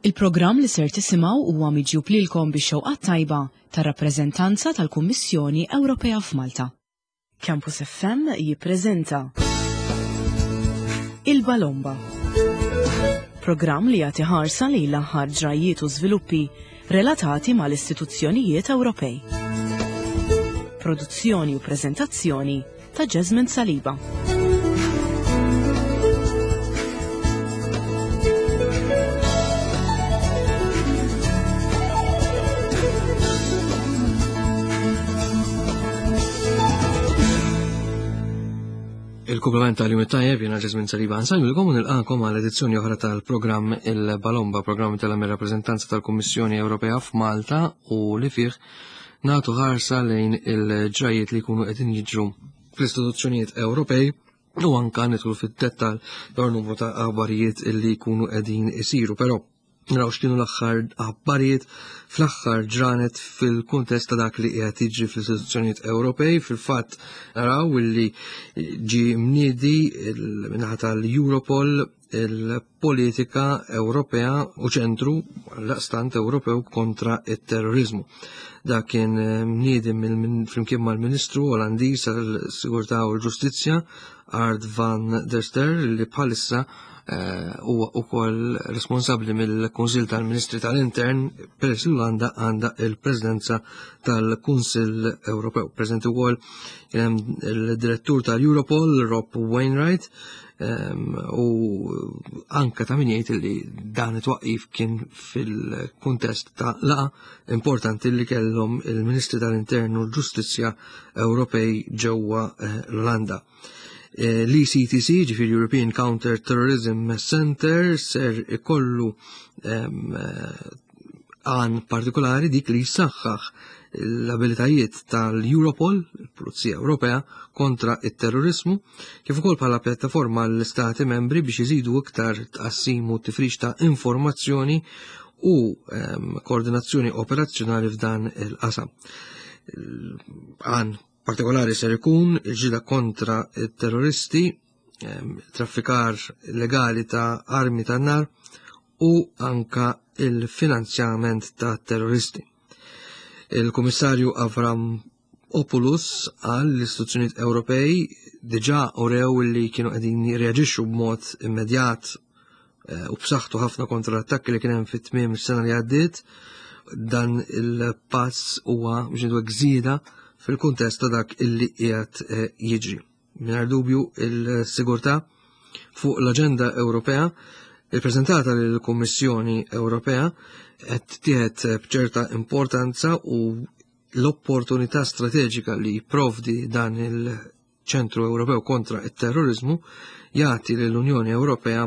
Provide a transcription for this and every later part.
Il-programm li ser tisimgħu huwa miġjub lilkom bix-xewqat tajba tar-rappreżentanza tal-Kummissjoni Ewropea f'Malta. Campus FM jippreżenta Il-Balomba. Programm li jagħti ħarsa lejn l-aħħar ġrajjiet u żviluppi relatati mal-istituzzjonijiet Ewropej. Produzzjoni u preżentazzjoni ta' Jasmine Saliba. Il-kumplament tal-jum it-tajjeb jiena Ġesmin Saliba nsajmilkom u nilqakom għal edizzjoni oħra tal-programm Il-Balomba, programm tal-rappreżentanza tal-Kummissjoni Ewropea f'Malta u li fih nagħtu ħarsa lejn il-ġrajiet li jkunu qegħdin jiġru fl-istituzzjonijiet Ewropej u anka nidħlu fid-dettal dwar numru ta' aħbarijiet li jkunu qegħdin isiru. Però naraw x'kienu l-aħħar aħbarijiet fl-aħħar ġranet fil-kuntest ta' dak li qiegħed jiġri fl-istituzzjonijiet Ewropej. Fil-fatt naraw illi ġie mniedi minnaħa tal-Europol il-politika Ewropea u ċentru laqstant Ewropew kontra it-terrorizmu. Dak kien eh, mniedi flimkien mal-Ministru Olandiż għal-Sigurtà u l-Ġustizzja Ard van der Ster li bħalissa eh, huwa wkoll responsabbli mill-Kunsill tal-Ministri tal-Intern peress li l-Olanda għandha il-Presidenza tal-Kunsill Ewropew. Preżenti wkoll il-Direttur tal-Europol Rob Wainwright u anka ta' min jgħid li dan it-twaqqif kien fil-kuntest ta' laqa importanti li kellhom il-Ministri tal-Intern u l-Ġustizzja Ewropej ġewwa eh, l-Olanda. Eh, L-ECTC, ġifieri European Counter Terrorism Center, ser ikollu eh, għan partikolari dik li jsaħħaħ l-abilitajiet tal-Europol, il-Pulizija Ewropea, kontra it-terrorismu, kif ukoll bħala pjattaforma l-Istati membri biex iżidu iktar tqassim u tifrix ta' informazzjoni u ehm, koordinazzjoni operazzjonali f'dan il-qasam. Għan partikolari ser ikun il-ġida kontra il-terroristi, ehm, traffikar legali ta' armi ta' nar u anka il-finanzjament ta' terroristi. Il-Kummissarju Avram Opulus qal l-istituzzjonijiet Ewropej diġà urew li kienu qegħdin jirreaġixxu b'mod immedjat eh, u b'saħħtu ħafna kontra l-attakki li kien hemm fit-tmiem is-sena li għaddiet. Dan il-pass huwa biex ngħidu żieda fil-kuntest ta' dak illi qiegħed eh, jiġri. Mingħajr dubju il-sigurtà fuq l-aġenda Ewropea ippreżentata lill-Kummissjoni Ewropea qed tieħed b'ċerta importanza u l-opportunità strateġika li jipprovdi dan il-Ċentru Ewropew kontra it-terrorizmu jagħti lill-Unjoni Ewropea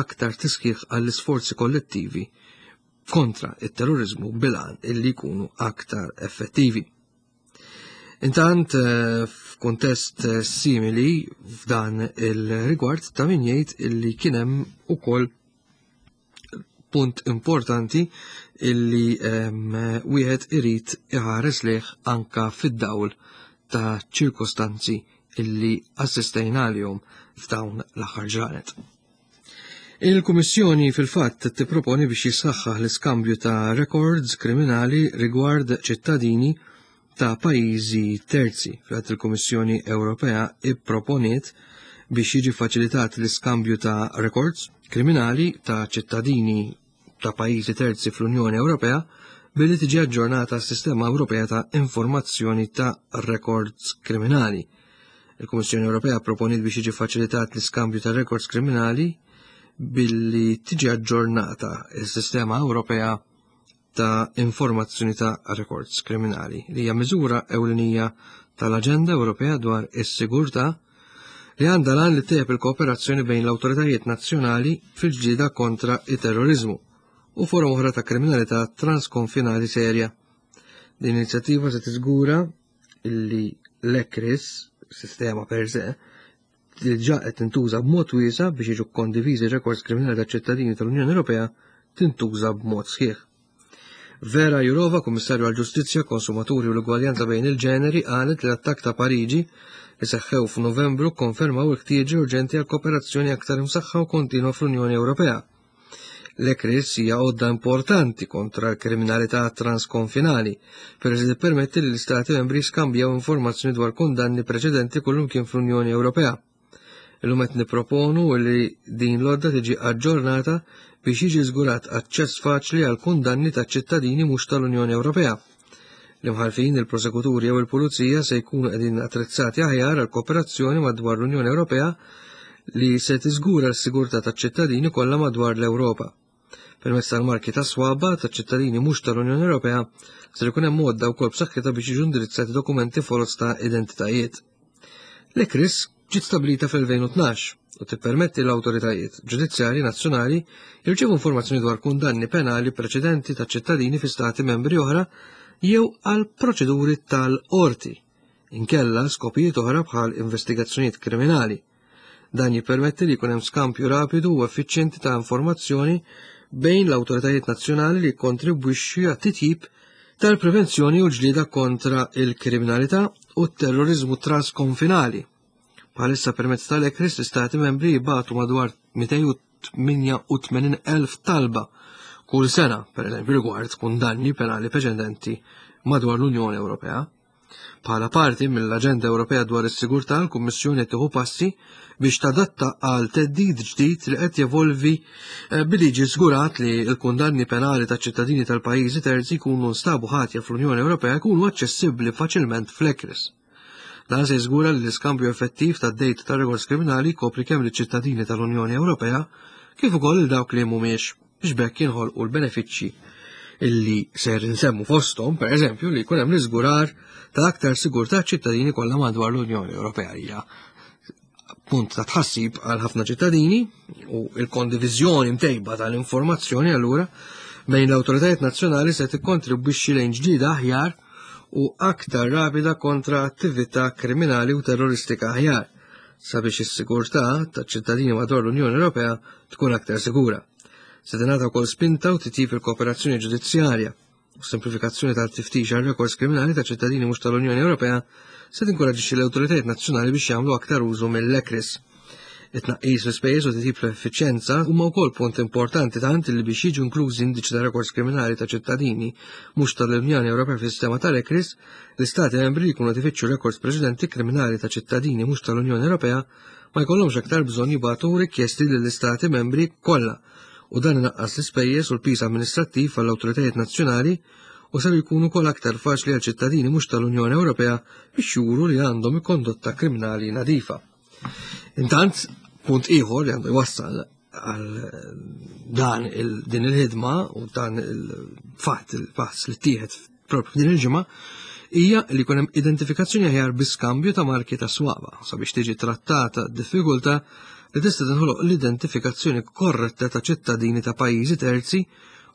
aktar tiskieħ għall-isforzi kollettivi kontra it-terrorizmu bilan illi jkunu aktar effettivi. Intant, eh, f'kuntest eh, simili f'dan il-rigward ta' min jgħid illi kien hemm ukoll punt importanti illi ehm, wieħed irid iħares lejh anka fid-dawl ta' ċirkostanzi illi assistejna għalihom f'dawn l-aħħar ġranet. Il-Kummissjoni fil-fatt tipproponi biex jissaħħaħ l-iskambju ta' records kriminali rigward ċittadini ta' pajjiżi terzi. Fil-fatt il-Kummissjoni Ewropea ipproponiet biex jiġi faċilitat l-iskambju ta' records kriminali ta' ċittadini ta' pajjiżi terzi fl-Unjoni Ewropea billi tiġi aġġornata s-Sistema Ewropea ta' Informazzjoni ta' Records Kriminali. Il-Kummissjoni Ewropea proponiet biex jiġi faċilitat l-iskambju ta' records kriminali billi tiġi aġġornata s-Sistema Ewropea ta' Informazzjoni ta' Records Kriminali li hija miżura ewlenija tal-Aġenda Ewropea dwar is-Sigurtà li għandha l-għan li ttejjeb il-kooperazzjoni bejn l-awtoritajiet nazzjonali fil-ġlieda kontra it-terroriżmu u forom oħra ta' kriminalità transkonfinali serja. Din l-inizjattiva se tiżgura li l-ECRIS, sistema per se, diġà qed tintuża b'mod wiesa' biex jiġu kondiviżi rekords kriminali ta' ċittadini tal-Unjoni Ewropea tintuża b'mod sħiħ. Vera Jourova, Kummissarju għall-Ġustizzja, Konsumaturi u l-Ugwaljanza bejn il-ġeneri, qalet li l-attakk ta' Pariġi li seħħew f'Novembru kkonfermaw il-ħtieġi urġenti għal kooperazzjoni aktar imsaħħa u kontinwa fl-Unjoni Ewropea. L-ECRIS hija għodda importanti kontra l-kriminalità transkonfinali, peress li tippermetti li l-Istati membri jiskambjaw informazzjoni dwar kundanni preċedenti kullimkien fl-Unjoni Ewropea. Illum qed nipproponu li din l-għodda tiġi aġġornata biex jiġi żgurat aċċess faċli għal kundanni ta' ċittadini mhux tal-Unjoni Ewropea. L-imħallfin, il-prosekuturi jew il-pulizija se jkunu qegħdin attrezzati aħjar għal kooperazzjoni madwar l-Unjoni Ewropea li se tiżgura l-sigurtà taċ-ċittadini kollha madwar l-Ewropa. Permezz tal-marki ta' swaba ta' ċittadini mhux tal-Unjoni Ewropea ser ikun hemm għodda wkoll b'saħħitha biex jiġu indirizzati dokumenti foloz ta' identitajiet. L-ECRIS ġiet stabbilita fl-2012 u tippermetti l-awtoritajiet ġudizzjarji nazzjonali jirċievu informazzjoni dwar kundanni penali preċedenti ta' ċittadini fi stati membri oħra jew għal proċeduri tal-qorti, inkella skopijiet oħra bħal investigazzjonijiet kriminali. Dan jippermetti li jkun hemm skambju rapidu u effiċjenti ta' informazzjoni bejn l-awtoritajiet nazzjonali li jikkontribwixxi għat-titjib tal-prevenzjoni u l-ġlieda kontra il-kriminalità u t-terrorizmu transkonfinali. Bħalissa permezz tal-ECRIS l-istati membri jibatu madwar 288,000 talba kull sena, per eżempju rigward kundanni penali preċedenti madwar l-Unjoni Ewropea. Bħala parti mill-Aġenda Ewropea dwar is-Sigurtà, l-Kummissjoni qed tieħu passi biex tadatta għal theddid ġdid li qed jevolvi eh, billi jiġi żgurat li l-kundanni penali ta' ċittadini tal-pajjiżi terzi jkunu nstabu ħatja fl-Unjoni Ewropea jkunu aċċessibbli faċilment fl-ECRIS. Dan se jiżgura li l-iskambju effettiv tad-dejta ta' rekords kriminali jkopri kemm liċ-ċittadini tal-Unjoni Ewropea kif ukoll il dawk li mhumiex biex b'hekk jinħolqu l-benefiċċji illi ser nsemmu fosthom, per eżempju, li jkun hemm l-iżgurar ta' aktar sigurtà ċittadini kollha madwar l-Unjoni Ewropea hija punt ta' tħassib għal ħafna ċittadini u il-kondiviżjoni mtejba tal-informazzjoni allura bejn l-awtoritajiet nazzjonali se tikkontribwixxi lejn ġdida aħjar u aktar rapida kontra attività kriminali u terroristika aħjar sabiex is-sigurtà taċ-ċittadini madwar l-Unjoni Ewropea tkun aktar sigura. Se tingħata wkoll spinta u titjib il-kooperazzjoni ġudizzjarja u simplifikazzjoni tal-tiftix għal rekords kriminali ta' ċittadini mhux tal-Unjoni Ewropea se tinkoraġixxi l-awtoritajiet nazzjonali biex jagħmlu aktar użu mill-ECRIS. It-tnaqqis fl-ispejjeż u titjib fl-effiċjenza huma wkoll punt importanti tant li biex jiġu inklużi indiċi ta' rekords kriminali ta' ċittadini mhux tal-Unjoni Ewropea fis-sistema tal-ECRIS, l-istati membri li jkunu qed ifittxu rekords preċedenti kriminali ta' ċittadini mhux tal-Unjoni Ewropea ma jkollhomx aktar bżonn jibagħtu rikjesti lill-istati membri kollha u dan inaqqas l-ispejjeż u l-piż amministrattiv għall-awtoritajiet nazzjonali u ser jkunu wkoll aktar faċli għal ċittadini mhux tal-Unjoni Ewropea biex juru li għandhom kondotta kriminali nadifa. Intant, punt ieħor li għandu jwassal għal dan il, din il-ħidma u dan il-fatt il-pass li tieħed propju din il-ġimgħa hija li jkun hemm identifikazzjoni aħjar bi skambju ta' marki ta' swaba sabiex tiġi trattata d-diffikultà li tista' tinħoloq l-identifikazzjoni korretta ta' ċittadini ta' pajjiżi terzi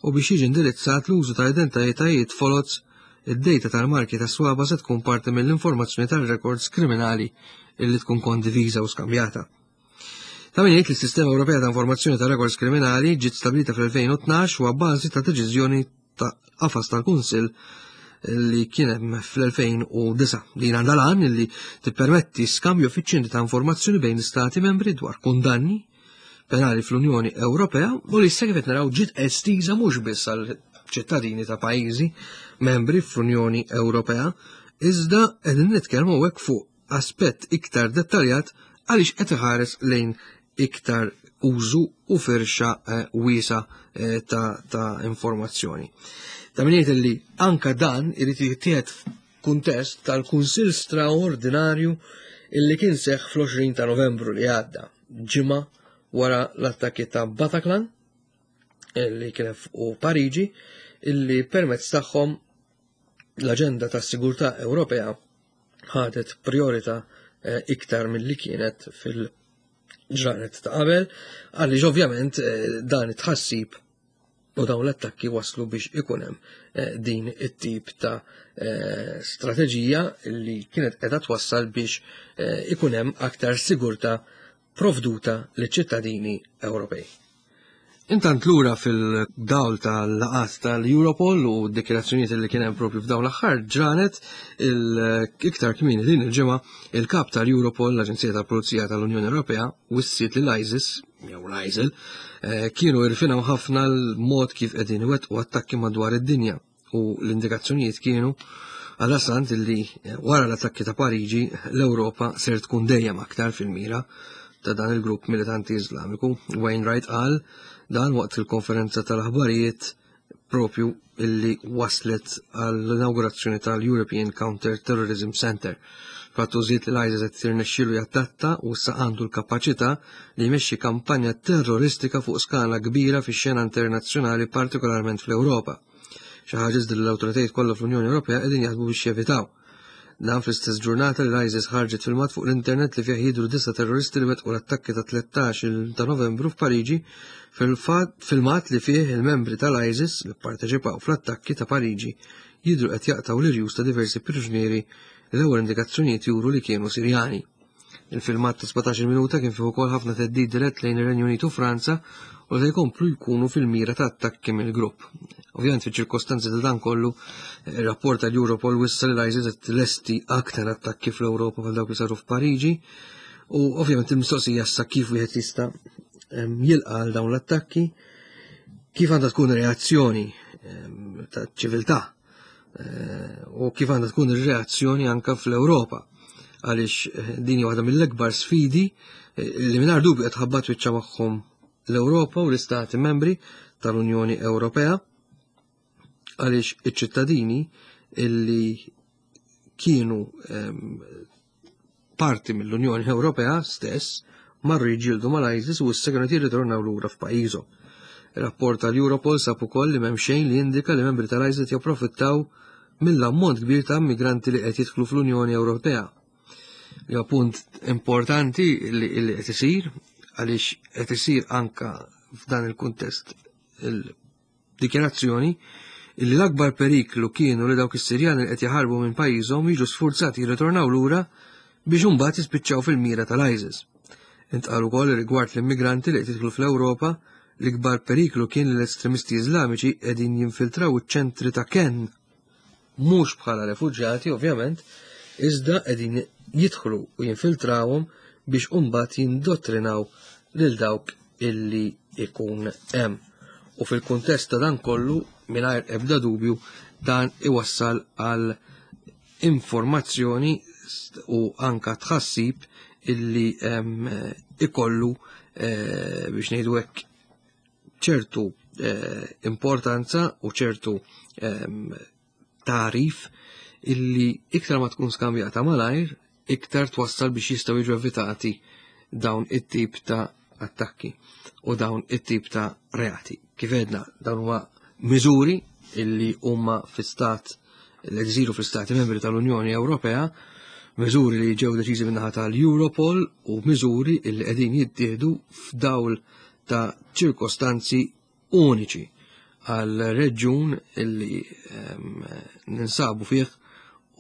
u biex jiġi indirizzat l-użu ta' identitajiet foloz id-dejta tal-marki ta' swaba se tkun parti mill-informazzjoni tal-rekords kriminali illi tkun kondiviża u skambjata. Ta' min jgħid li s-Sistema Ewropea ta' Informazzjoni ta' Rekords Kriminali ġiet stabilita fl-2012 u għabbażi ta' deċiżjoni ta' qafas tal-Kunsill li kien hemm fl-2009. Din għandha l-għan li tippermetti skambju effiċjenti ta' informazzjoni bejn l-Istati membri dwar kundanni penali fl-Unjoni Ewropea u li issa kif qed naraw ġiet estiża mhux biss għal ċittadini ta' pajjiżi membri fl-Unjoni Ewropea, iżda qegħdin nitkellmu hekk fuq aspett iktar dettaljat għaliex qed iħares lejn iktar użu u firxa eh, wiesa eh, ta', ta informazzjoni. Ta' min jgħid li anka dan irid jittieħed f'kuntest tal-Kunsill Straordinarju illi kien seħħ fl-20 ta' Novembru li għadda, ġimgħa wara l-attakki ta' Bataclan illi kien u Pariġi illi permezz tagħhom l-aġenda tas-sigurtà Ewropea ħadet priorità eh, iktar milli kienet fil-ġranet ta' qabel, għaliex ovvjament eh, dan it-tħassib u dawn l-attakki waslu biex ikun hemm eh, din it-tip ta' strateġija li kienet qiegħda twassal biex ikun hemm aktar sigurtà provduta liċ-ċittadini Ewropej. Intant lura fil-dawl tal-laqat tal-Europol u d-dikjarazzjonijiet li kien hemm propju f'dawn l-aħħar ġranet il-iktar kmieni din il-ġimgħa il-kap tal-Europol, l-Aġenzija tal-Pulizija tal-Unjoni Ewropea, wissiet li l-ISIS jew l-ISIL, eh, kienu irfinaw ħafna l-mod kif qegħdin iwettqu attakki madwar id-dinja u l-indikazzjonijiet kienu għal-asant li eh, wara l-attakki ta' Pariġi l-Ewropa ser tkun dejjem aktar fil-mira ta' dan il-grupp militanti Iżlamiku. Wainwright qal dan waqt il-konferenza tal-aħbarijiet propju illi waslet għall-inaugurazzjoni tal-European Counter Terrorism Center. Fattu żied li l-ISIS qed tirnexxielu jattatta u issa għandu l-kapaċità li jmexxi kampanja terroristika fuq skala kbira fix-xena internazzjonali partikolarment fl-Ewropa. Xi ħaġa iżda li l-awtoritajiet kollha fl-Unjoni Ewropea qegħdin jaħdmu biex jevitaw. Dan fl-istess ġurnata li l-ISIS ħarġet filmat fuq l-internet li fih jidhru disa' terroristi li wettqu l-attakki ta' 13 ta' Novembru f'Pariġi filmat li fih il-membri tal-ISIS li pparteċipaw fl-attakki ta' Pariġi jidhru qed jaqtgħu l-irjus ta' diversi priġunieri li l-ewwel indikazzjonijiet juru li kienu Sirjani. Il-filmat ta' 17 minuta kien fih ukoll ħafna theddid dirett lejn ir-Renju Unit u Franza u se jkomplu jkunu fil-mira ta' attakki mill-grupp. Ovvjament fiċ-ċirkostanzi ta' dan kollu, ir-rapport tal-Europol wissa li l-ISIS qed lesti aktar attakki fl-Ewropa bħal dawk li saru f'Pariġi u ovvjament il-mistoqsija issa kif wieħed jista' jilqa' għal dawn l-attakki, kif għandha tkun reazzjoni ta' ċiviltà Eh, u kif għandha tkun ir-reazzjoni anka fl-Ewropa għaliex eh, din hija waħda mill-ikbar sfidi eh, li mingħajr dubju qed ħabbat wiċċha magħhom l-Ewropa u l-Istati membri tal-Unjoni Ewropea għaliex iċ-ċittadini illi kienu ehm, parti mill-Unjoni Ewropea stess marru jiġġieldu mal-ISIS u issa kienu jirritornaw lura f'pajjiżhom. Rapport tal-Europol sab ukoll li m'hemm xejn li jindika li membri tal-ISIS japprofittaw mill-ammont kbir ta' immigranti li qed jidħlu fl-Unjoni Ewropea. Li punt importanti li qed isir għaliex qed isir anka f'dan il-kuntest dikjarazzjoni illi l-akbar periklu kienu li dawk is-Sirjani li qed jaħarbu minn pajjiżhom jiġu sfurzati jirritornaw lura biex imbagħad jispiċċaw fil-mira tal-ISIS. Intqal ukoll li rigward l-immigranti li qed jidħlu fl-Ewropa, l-ikbar periklu kien li l-estremisti Iżlamiċi qegħdin jinfiltraw iċ-ċentri ta' kenn mhux bħala refuġjati ovvjament, iżda qegħdin jidħlu u jinfiltrawhom biex imbagħad jindottrinaw lil dawk illi ikun hemm. U fil-kuntest ta' dan kollu, mingħajr ebda dubju, dan iwassal għal informazzjoni u anka tħassib illi ikollu eh, biex ngħidu hekk ċertu eh, importanza u ċertu ehm, tarif illi iktar ma tkun skambjata malajr, iktar twassal biex jistgħu jiġu evitati dawn it-tip ta' attakki u dawn it-tip ta' reati. Kif edna, dawn huma miżuri illi huma fi stat li jsiru fl-Stati Membri tal-Unjoni Ewropea, miżuri li ġew deċiżi min-naħa tal-Europol u miżuri illi qegħdin jittieħdu f'dawl ta' ċirkostanzi uniċi għal reġjun illi ehm, ninsabu fih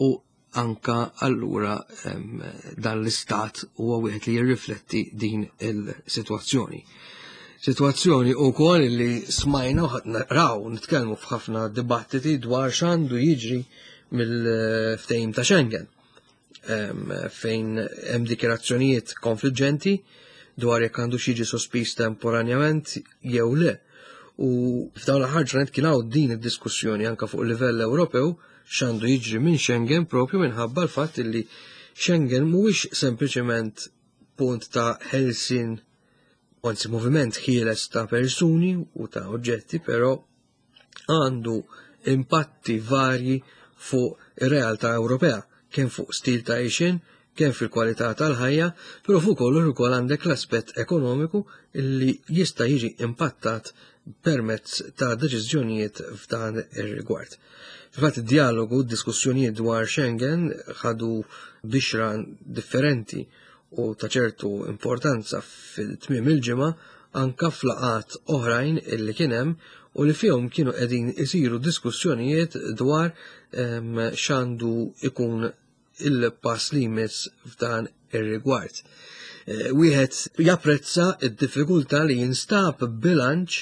u anka allura ehm, dan l-istat huwa wieħed li jirrifletti din il-sitwazzjoni. Sitwazzjoni wkoll li smajna u raw nitkellmu f'ħafna dibattiti dwar x'għandu jiġri mill-ftehim ta' Schengen fejn hemm dikjarazzjonijiet konfliġġenti dwar jekk għandu jiġi sospiż temporanjament jew le. U f'dawn l-aħħar ġranet kien hawn din id-diskussjoni anke fuq livell Ewropew x'għandu jiġri minn Schengen propju minħabba l-fatt li Schengen mhuwiex sempliċement punt ta' ħelsien anzi moviment ħieles ta' persuni u ta' oġġetti, però għandu impatti varji fuq ir-realtà Ewropea, kemm fuq stil ta' għixien, kemm fil-kwalità tal-ħajja, però fuq kollox ukoll għandek l-aspett ekonomiku li jista' jiġi impattat permezz ta' deċiżjonijiet f'dan ir-rigward. Fil-fatt id-dialogu, d-diskussjonijiet dwar Schengen ħadu bixra differenti u ta' ċertu importanza fil-tmiem il-ġimgħa anka f'laqgħat oħrajn illi kien hemm u li fihom kienu qegħdin isiru diskussjonijiet dwar ehm, x'għandu ikun il-pass li jmiss f'dan ir-rigward. Eh, wieħed japprezza d-diffikultà li jinstab bilanċ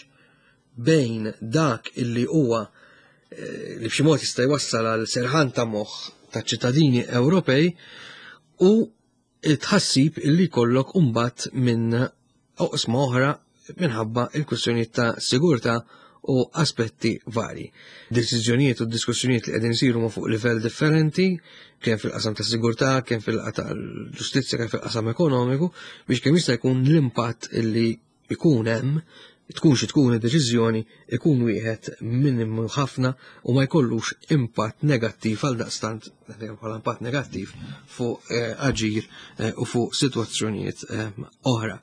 bejn dak illi huwa eh, li b'xi mod jista' jwassal għal serħan ta' moħħ ta' ċittadini Ewropej u it-tħassib illi jkollok imbagħad minn oqsma oħra minħabba il-kwistjonijiet ta' sigurtà u aspetti vari. Deċiżjonijiet u diskussjonijiet li qegħdin isiru ma' fuq livell differenti, kemm fil-qasam ta' sigurtà, kemm fil-qasam tal-ġustizzja, kemm fil-qasam ekonomiku, biex kemm jista' jkun l-impatt li ikun hemm, tkun xi tkun id-deċiżjoni, ikun wieħed minimu ħafna u ma jkollux impatt negattiv għal daqstant bħala impatt negattiv fuq eh, aġir eh, u fuq sitwazzjonijiet eh, oħra.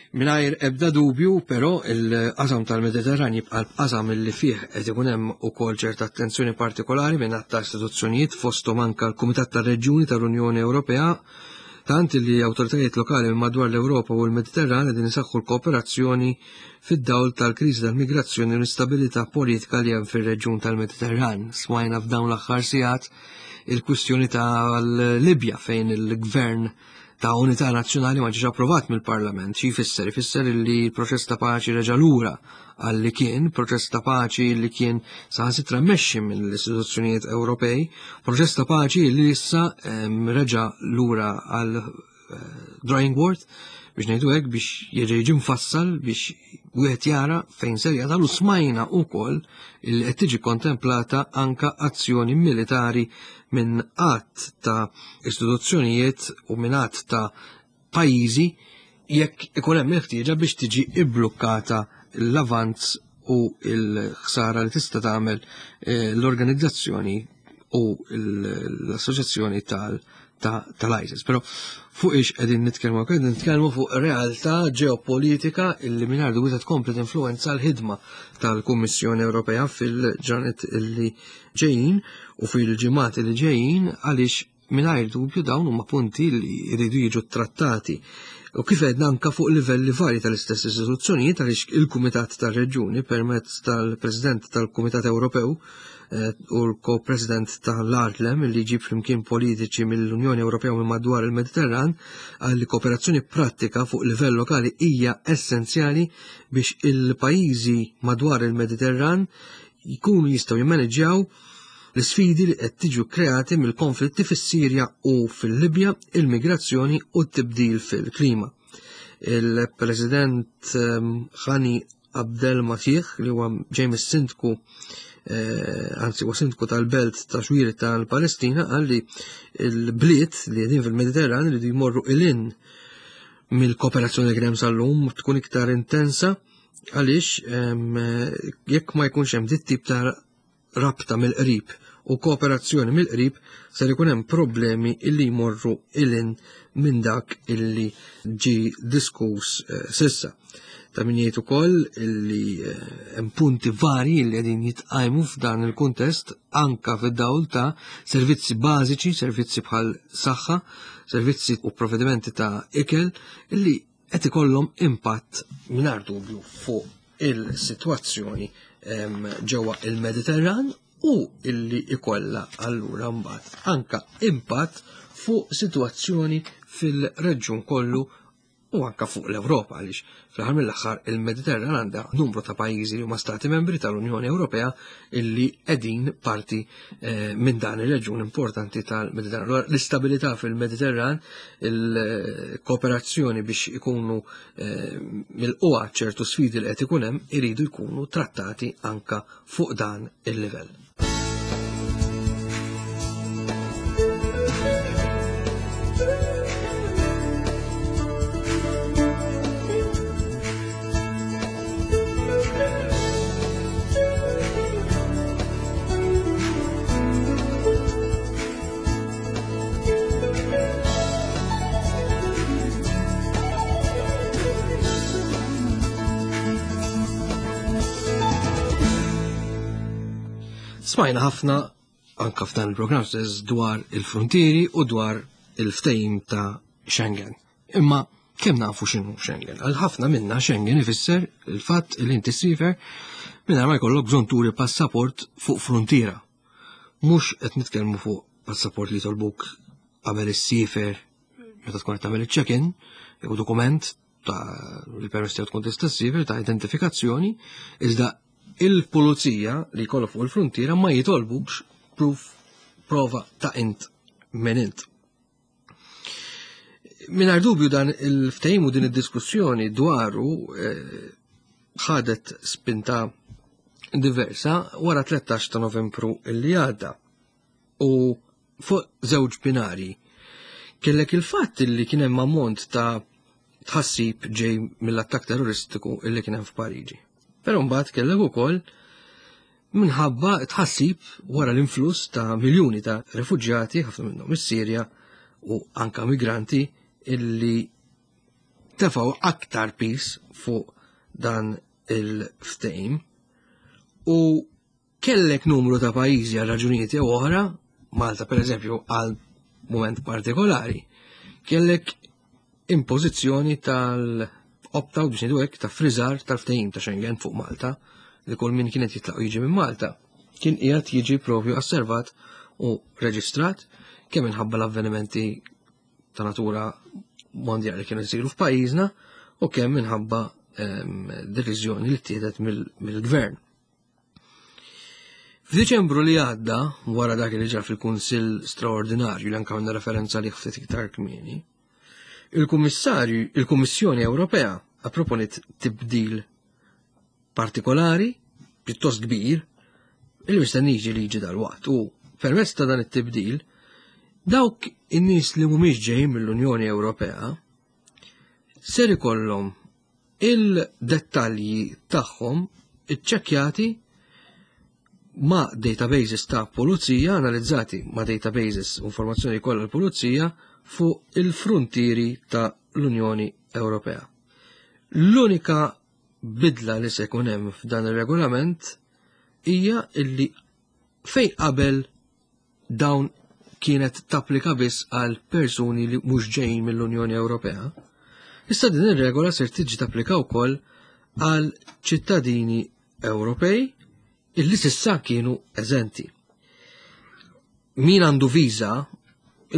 Mingħajr ebda dubju, però, il-qasam tal-Mediterran jibqa' l-qasam li fih qed ikun hemm ukoll ċerta attenzjoni partikolari minn ta' istituzzjonijiet fosthom anke l-Kumitat tar-Reġjuni tal-Unjoni Ewropea tant li awtoritajiet lokali minn madwar l-Ewropa u l-Mediterran qegħdin isaħħu l-kooperazzjoni fid-dawl tal-kriżi tal-migrazzjoni u l-instabilità politika li hemm fir-reġjun tal-Mediterran. Smajna f'dawn l-aħħar sigħat il-kwistjoni tal-Libja fejn il-gvern ta' unità nazzjonali ma ġiex approvat mill-Parlament. Xi jfisser? Ifisser li l-proċess ta' paċi reġa' lura għal li kien, proċess ta' paċi li kien saħansitra mmexxi mill-istituzzjonijiet Ewropej, proċess ta' paċi li issa reġa' lura għal eh, drawing board biex ngħidu hekk biex jerġa' jiġi mfassal biex wieħed jara fejn ser jasal u smajna wkoll li qed tiġi kontemplata anka azzjoni militari minn għadd ta' istituzzjonijiet u minn għadd ta' pajjiżi jekk ikun hemm il-ħtieġa biex tiġi ibblukkata l-avanz u l-ħsara li tista' tagħmel eh, l-organizzazzjoni u l-assoċjazzjoni tal-ISIS. Però fuq ix qegħdin nitkellmu qegħdin nitkellmu fuq realtà ġeopolitika illi mingħajr dubju se tkompli tinfluwenza l-ħidma tal-Kummissjoni Ewropea fil-ġranet illi ġejjin u fil-ġimgħat li ġejjin għaliex mingħajr dubju dawn huma punti li jridu jiġu trattati. U kif għedna anka fuq livelli varji tal-istess istituzzjonijiet għaliex il-Kumitat tar-Reġjuni permezz tal-President tal-Kumitat Ewropew eh, u l-ko-president tal-Arlem li jġib flimkien politiċi mill-Unjoni Ewropea u minn madwar il-Mediterran għal kooperazzjoni prattika fuq livell lokali hija essenzjali biex il-pajjiżi madwar il-Mediterran jkunu jistgħu jimmaneġġjaw l-isfidi li qed tiġu kreati mill-konflitti fis-Sirja u fil-Libja, il-migrazzjoni u t-tibdil fil-klima. Il-President Khani ehm, Abdel Matih li huwa ġej mis-sindku eh, anzi huwa sindku tal-belt ta' xwiri tal-Palestina qal li l-bliet li qegħdin fil-Mediterran li jmorru ilin mill-kooperazzjoni li kien hemm sal-lum tkun iktar intensa għaliex jekk ma jkunx hemm dit tip ta' rabta mill-qrib u kooperazzjoni mill-qrib ser ikun hemm problemi illi jmorru ilin minn dak illi ġi diskuss eh, sissa. Ta' min jgħid ukoll illi eh, hemm punti varji li qegħdin jitqajmu f'dan il-kuntest anka fid-dawl ta' servizzi bażiċi, servizzi bħal saħħa, servizzi u provvedimenti ta' ikel illi qed ikollhom impatt mingħajr dubju fuq il-sitwazzjoni ġewwa il-Mediterran u illi ikollha allura mbagħad anka impatt fuq sitwazzjoni fil-reġjun kollu u anka fuq l-Ewropa għaliex fl-aħħar mill-aħħar il-Mediterran għandha numru ta' pajjiżi li huma stati membri tal-Unjoni Ewropea illi qegħdin parti eh, minn dan ir-reġjun importanti tal-Mediterran. L-istabilità fil-Mediterran, il-kooperazzjoni biex ikunu eh, mill-qwa ċertu sfidi li qed ikun hemm iridu jkunu trattati anka fuq dan il-livell. Smajna ħafna anka f'dan il-programm stess dwar il-frontieri u dwar il-ftehim ta' Schengen. Imma kemm nafu x'inhu Schengen? Għal ħafna minna Schengen ifisser il-fatt li inti ssifer mingħajr ma jkollok bżonn turi passaport fuq frontiera. Mhux qed nitkellmu fuq passaport li jitolbuk qabel issifer meta tkun qed tagħmel iċ-check-in jew dokument ta' li permess tiegħu tkun tista' ssifer ta' identifikazzjoni, iżda il-pulizija li jkollok fuq il-frontiera ma jitolbukx proof prova ta' int minn int. Mingħajr dubju dan il-ftehim u din id-diskussjoni dwaru eh, ħadet spinta diversa wara 13 ta' Novembru li għadda. U fuq żewġ binari kellek il-fatt li kien hemm ammont ta' tħassib ġej mill-attakk terroristiku illi kien hemm f'Pariġi. Però mbagħad kellek ukoll minħabba tħassib wara l-influss ta' miljuni ta' refuġjati, ħafna minnhom is-Sirja u anka migranti illi tefgħu aktar pis fuq dan il-ftehim u kellek numru ta' pajjiżi għal raġunijiet jew oħra, Malta per eżempju għal moment partikolari, kellek impożizzjoni tal-opt-out biex ngħidu hekk ta' friżar tal-ftehim ta' Schengen fuq Malta li kull min kienet jitlaq jiġi minn Malta kien qiegħed jiġi propju asservat u reġistrat kemm minħabba l-avvenimenti ta' natura mondjali kienu jsiru f'pajjiżna u kemm minħabba ehm, deċiżjoni li ttieħdet mill-gvern. F'Diċembru li għadda, wara dak li ġar fil-Kunsill Straordinarju li anke għandna referenza li ftit iktar kmieni, il-Kummissarju, il-Kummissjoni Ewropea approponiet tibdil partikolari, pjuttost kbir, il mistenni jiġi liġi dal-waqt u permezz ta' dan it-tibdil, dawk in-nies li mhumiex ġejjin mill-Unjoni Ewropea ser ikollhom il-dettalji tagħhom iċċekkjati ma' databases ta' pulizija, analizzati ma' databases u informazzjoni kollha l-pulizija fuq il-frontieri ta' l-Unjoni Ewropea. L-unika bidla li se jkun hemm f'dan ir-regolament hija illi fejn qabel dawn kienet tapplika biss għal persuni li mhux ġejjin mill-Unjoni Ewropea, issa din ir-regola ser tiġi tapplika wkoll għal ċittadini Ewropej illi sissa kienu eżenti. Min għandu viża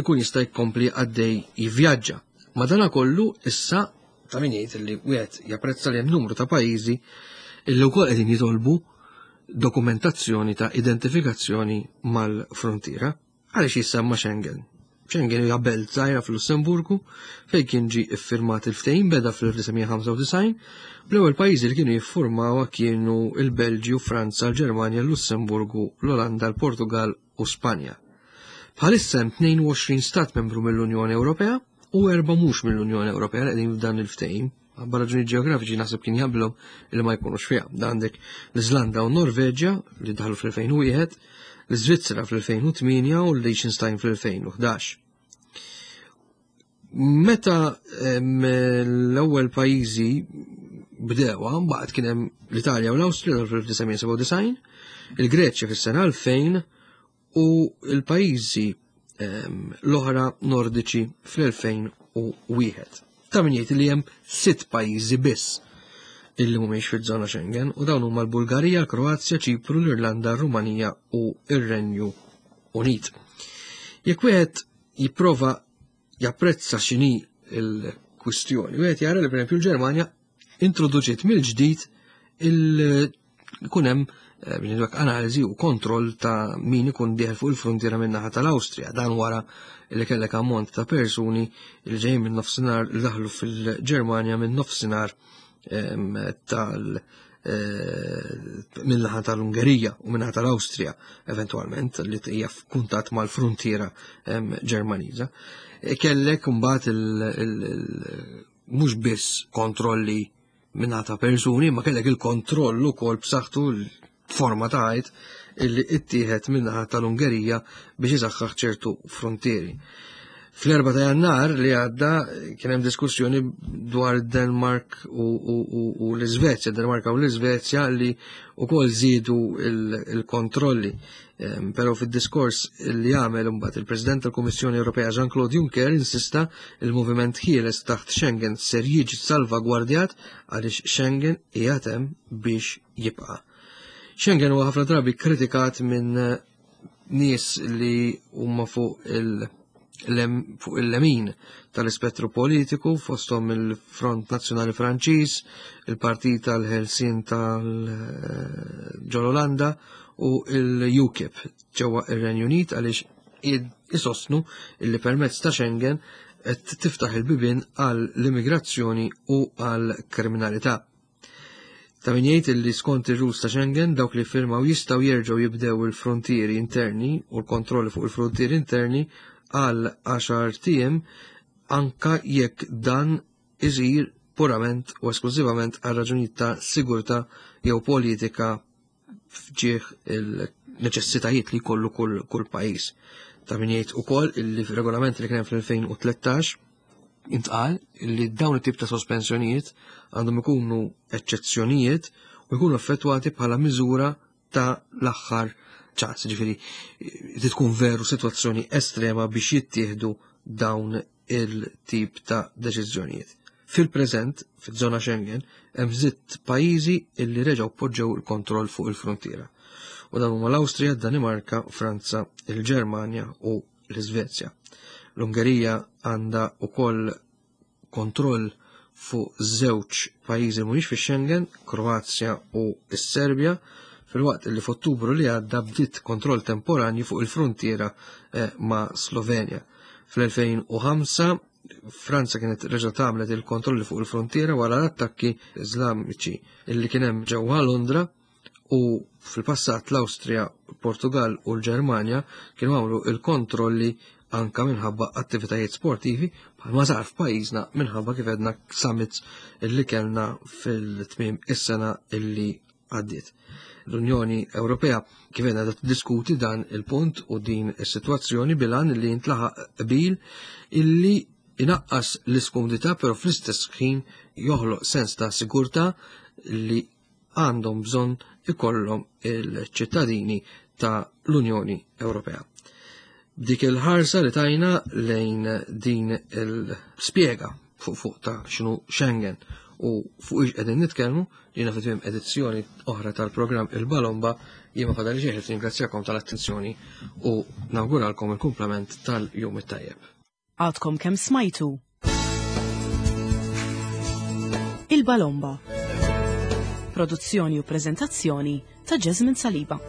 ikun jista' jkompli għaddej jivvjaġġa. Madanakollu issa ta' min jgħid li wieħed japprezza li hemm numru ta' pajjiżi illi wkoll qegħdin jitolbu dokumentazzjoni ta' identifikazzjoni mal-frontiera. Għaliex jissemma Schengen? Schengen hija belt żgħira fil-Lussemburgu fejn kien ġie iffirmat il-ftehim beda fl-1995 bl-ewwel pajjiżi li kienu jiffurmawha kienu l-Belġju, Franza, l-Ġermanja, l-Lussemburgu, l-Olanda, l-Portugal u Spanja. Bħalissa hemm 22 stat membru mill-Unjoni Ewropea u erba' mhux mill-Unjoni Ewropea li qegħdin f'dan il-ftehim. Għabba raġuni ġeografiċi naħseb kien jaqblhom li ma jkunux fiha. Da għandek l-Iżlanda u Norveġja li daħlu fl-2001, l-Iżvizzera fl-2008 u l-Liechtenstein fl-2011. Meta l-ewwel pajjiżi bdewa, mbagħad kien hemm l-Italja u l-Awstrija fl-1997, il-Greċja fis-sena 2000 u l-pajjiżi ehm, l-oħra nordiċi fl-2001. Ta' min jgħid li hemm sitt pajjiżi biss illi mhumiex fiż-żona Schengen u dawn huma l-Bulgarija, l-Kroazja, Ċipru, l-Irlanda, r-Rumanija u r-Renju Unit. Jekk wieħed jipprova japprezza x'inhi l-kwistjoni, wieħed jara li pereżempju l-Ġermanja introduċiet mill-ġdid il kun hemm eh, analiżi u kontroll ta' min ikun dieħel fuq il-frontiera minn naħa tal-Awstrija. Dan wara li kellek ammont ta' persuni li ġejjin minn nofsinhar li daħlu fil-Ġermanja minn nofsinhar ehm, tal- eh, minn naħa tal-Ungerija u minn naħa tal-Awstrija eventwalment li hija f'kuntatt mal-frontiera ehm, Ġermaniża. E kellek imbagħad mhux biss kontrolli minna ta' persuni, ma kellek il-kontroll ukoll b'saħħtu forma ta' ħajt illi ittieħed minnaħa tal-Ungerija biex isaħħaħ ċertu frontieri. Fl-4 ta' jannar li għadda kien hemm diskussjoni dwar Denmark u, u, u, u l-Iżvezja, Denmarka u l-Iżvezja li wkoll żiedu il-kontrolli. Però fid-diskors li għamel imbagħad il-President tal-Kummissjoni Ewropea Jean-Claude Juncker insista il-moviment ħieles taħt Schengen ser jiġi salvagwardjat għaliex Schengen qiegħed hemm biex jibqa'. Schengen huwa ħafna drabi kritikat minn nies li huma fuq il- fuq il-lemin tal-ispettru politiku fosthom il-Front Nazzjonali Franċiż, il-Partit tal-Ħelsien tal-ġol-Olanda u l-UKIP ġewwa ir-Renju Unit għaliex isostnu illi permezz ta' Schengen qed tiftaħ il-bibien għall-immigrazzjoni u għall-kriminalità. Ta' min jgħid li skont ir-rules ta' Schengen dawk li firmaw jistgħu jerġgħu jibdew il-frontieri interni u l-kontrolli fuq il-frontieri interni għal 10 tiem anka jekk dan iżir purament u esklużivament għal raġunijiet ta' sigurtà jew politika f'ġieħ il-neċessitajiet li jkollu kull, kull pajjiż. Ta' min jgħid ukoll illi fir-regolament li kien fl-2013 intqal li dawn it-tip ta' sospensjonijiet għandhom ikunu eċċezzjonijiet u jkunu effettwati bħala miżura ta' l-aħħar ċans, ġifieri tkun veru sitwazzjoni estrema biex jittieħdu dawn il-tip ta' deċiżjonijiet. Fil-preżent, fiż-żona Schengen, hemm sitt pajjiżi illi reġgħu poġġew il-kontroll fuq il-frontiera. U dawn huma l-Awstrija, Danimarka, Franza, il-Ġermanja u l-Iżvezja. L-Ungerija għandha wkoll kontroll fuq żewġ pajjiżi mhumiex fi Schengen, Kroazja u s-Serbja, filwaqt li f'Ottubru li għadda bdiet kontroll temporanju fuq il-frontiera eh, ma' Slovenja. Fl-2005 Franza kienet reġgħet għamlet il-kontrolli fuq il-frontiera wara l-attakki Iżlamiċi illi kien hemm ġewwa Londra u fil-passat l-Awstrija, Portugal u l-Ġermanja kienu għamlu il-kontrolli anka minħabba attivitajiet sportivi bħalma sar f'pajjiżna minħabba kif għedna summits illi kellna fil-tmiem is-sena illi għaddiet. L-Unjoni Ewropea kif għedna diskuti dan il-punt u din is-sitwazzjoni bilan li jintlaħaq qbil illi inaqqas l-iskumdità però fl-istess ħin joħloq sens ta' sigurtà li għandhom bżonn ikollhom il-ċittadini ta' l-Unjoni Ewropea. Dik il-ħarsa li tajna lejn din il-spjega fuq fuq ta' xinu Schengen u fuq ix qegħdin nitkellmu jiena fi tmiem edizzjoni oħra tal-programm Il-Balomba jien ma fadali xejn ringrazzjakom tal-attenzjoni u nawguralkom il-kumplament tal-jum it-tajjeb. Għadkom kemm smajtu Il-Balomba. Produzzjoni u prezentazzjoni ta' Jasmine Saliba.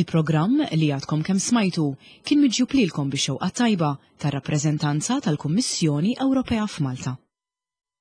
Il-programm li għadkom kemm smajtu kien miġjub lilkom bix-xewqa tajba tar-rappreżentanza tal-Kummissjoni Ewropea f'Malta.